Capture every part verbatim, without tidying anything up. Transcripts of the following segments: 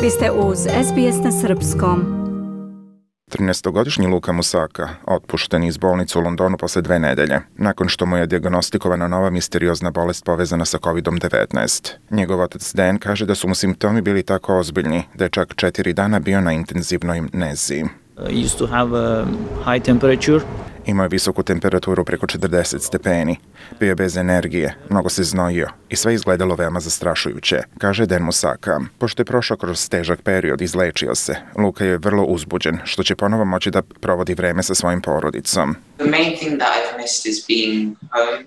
Vi ste uz S B S na srpskom. trinaestogodišnji Luka Musaka otpušten iz bolnice u Londonu posle dve nedelje, nakon što mu je dijagnostikovana nova misteriozna bolest povezana sa kovid devetnaest. Njegov otac Dan kaže da su mu simptomi bili tako ozbiljni da je čak četiri dana bio na intenzivnoj nezi. I used to have a high temperature. Imao je visoku temperaturu preko četrdeset stepeni, bio je bez energije, mnogo se znojio i sve izgledalo veoma zastrašujuće, kaže Dan Musaka. Pošto je prošao kroz težak period, izlečio se, Luka je vrlo uzbuđen, što će ponovo moći da provodi vreme sa svojim porodicom. The main thing that I've missed is being home.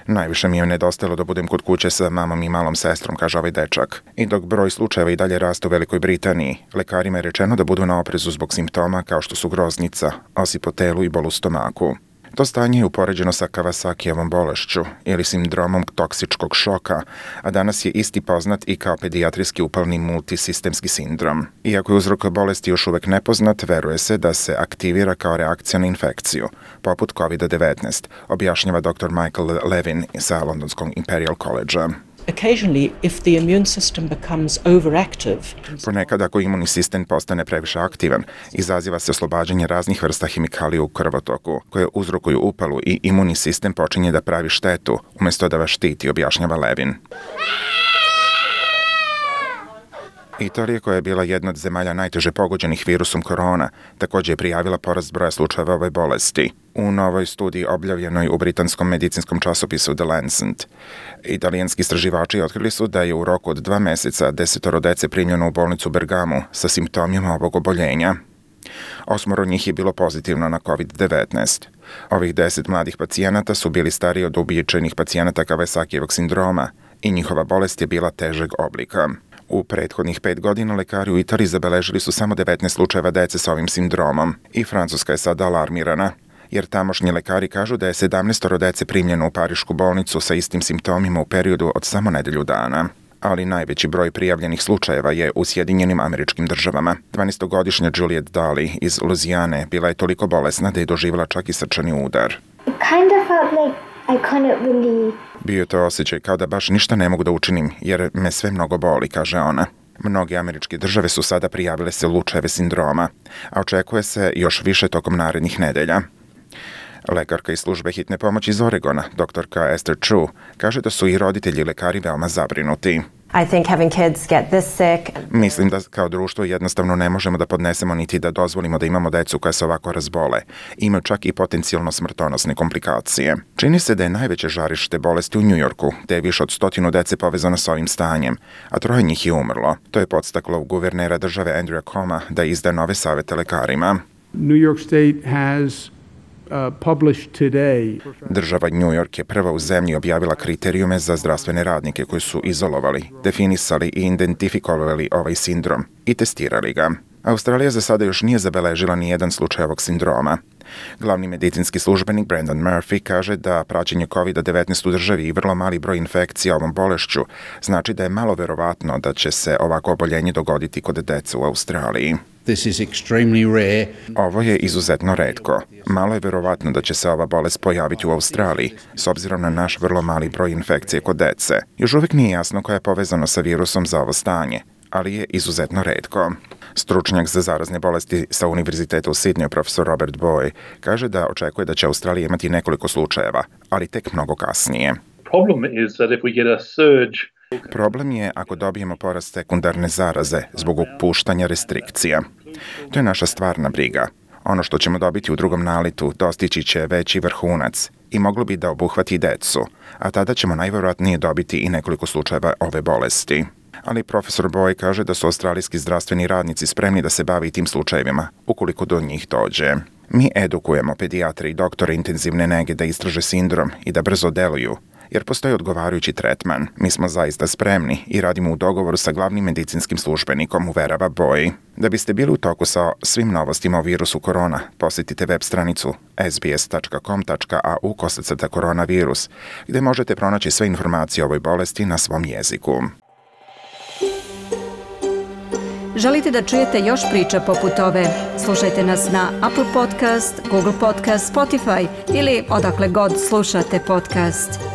Najviše mi je nedostajalo da budem kod kuće sa mamom i malom sestrom, kaže ovaj dečak. I dok broj slučajeva i dalje raste u Velikoj Britaniji, lekarima je rečeno da budu na oprezu zbog simptoma kao što su groznica, osip u telu i bol u stomaku. To stanje je upoređeno sa Kawasakijevom bolešću ili sindromom toksičkog šoka, a danas je isti poznat i kao pedijatrijski upalni multisistemski sindrom. Iako je uzrok bolesti još uvek nepoznat, veruje se da se aktivira kao reakcija na infekciju, poput kovid devetnaest, objašnjava doktor Michael Levin sa Londonskog Imperial College-a. Occasionally, if the immune system becomes overactive, ponekad ako imunni sistem postane previše aktivan, izaziva se oslobađanje raznih vrsta hemikalija u krvotoku, koje uzrokuju upalu i imunni sistem počinje da pravi štetu, umjesto da vas štiti, objašnjava Levin. Italija, koja je bila jedna od zemalja najteže pogođenih virusom korona, također je prijavila porast broja slučajeva ove bolesti. U novoj studiji objavljenoj u britanskom medicinskom časopisu The Lancet, italijanski istraživači otkrili su da je u roku od dva meseca desetoro dece primljeno u bolnicu u Bergamu sa simptomima ovog oboljenja. Osmoro njih je bilo pozitivno na kovid devetnaest. Ovih deset mladih pacijenata su bili stariji od uobičajenih pacijenata Kawasakijevog sindroma i njihova bolest je bila težeg oblika. U prethodnih pet godina lekari u Italiji zabeležili su samo devetnaest slučajeva dece sa ovim sindromom i Francuska je sada alarmirana, jer tamošnji lekari kažu da je sedamnaestoro dece primljeno u parišku bolnicu sa istim simptomima u periodu od samo nedelju dana. Ali najveći broj prijavljenih slučajeva je u Sjedinjenim Američkim Državama. dvanaestogodišnja Juliet Daly iz Luzijane bila je toliko bolesna da je doživjela čak i srčani udar. It kind of felt like I couldn't really... Bio je to osjećaj kao da baš ništa ne mogu da učinim, jer me sve mnogo boli, kaže ona. Mnoge američke države su sada prijavile se slučajeve sindroma, a očekuje se još više tokom narednih nedelja. Lekarka iz službe hitne pomoći iz Oregona, doktorka Esther Chu, kaže da su i roditelji i lekari veoma zabrinuti. I think having kids get this sick. Mislim da kao društvo jednostavno ne možemo da podnesemo niti da dozvolimo da imamo decu koja se ovako razbole. Imaju čak i potencijalno smrtonosne komplikacije. Čini se da je najveće žarište bolesti u Njujorku, te je više od stotinu dece povezano sa ovim stanjem, a troje njih je umrlo. To je podstaklo guvernera države Andrewa Cuoma da izda nove savete lekarima. New York State has Uh, published today. Država New York je prva u zemlji objavila kriterijume za zdravstvene radnike koji su izolovali, definisali i identifikovali ovaj sindrom i testirali ga. Australija za sada još nije zabeležila ni jedan slučaj ovog sindroma. Glavni medicinski službenik Brendan Murphy kaže da praćenje kovid devetnaest u državi i vrlo mali broj infekcija ovom bolešću znači da je malo verovatno da će se ovako oboljenje dogoditi kod dece u Australiji. This is extremely rare. Ovo je izuzetno retko. Malo je verovatno da će se ova bolest pojaviti u Australiji, s obzirom na naš vrlo mali broj infekcije kod dece. Još uvijek nije jasno koja je povezano sa virusom za ovo stanje, ali je izuzetno retko. Stručnjak za zarazne bolesti sa Univerziteta u Sidneju, profesor Robert Boy, kaže da očekuje da će Australija imati nekoliko slučajeva, ali tek mnogo kasnije. Problem is that if we get a surge Problem je ako dobijemo porast sekundarne zaraze zbog opuštanja restrikcija. To je naša stvarna briga. Ono što ćemo dobiti u drugom naletu dostići će veći vrhunac i moglo bi da obuhvati decu, a tada ćemo najvjerojatnije dobiti i nekoliko slučajeva ove bolesti. Ali profesor Boy kaže da su australijski zdravstveni radnici spremni da se bavi tim slučajevima, ukoliko do njih dođe. Mi edukujemo pedijatre i doktore intenzivne nege da istraže sindrom i da brzo deluju, jer postoji odgovarajući tretman. Mi smo zaista spremni i radimo u dogovoru sa glavnim medicinskim službenikom, uverava Boy. Da biste bili u toku sa svim novostima o virusu korona, posjetite web stranicu s b s dot com dot a u kosacrta koronavirus, gdje možete pronaći sve informacije o ovoj bolesti na svom jeziku. Želite da čujete još priča poput ove? Slušajte nas na Apple Podcast, Google Podcast, Spotify ili odakle god slušate podcast.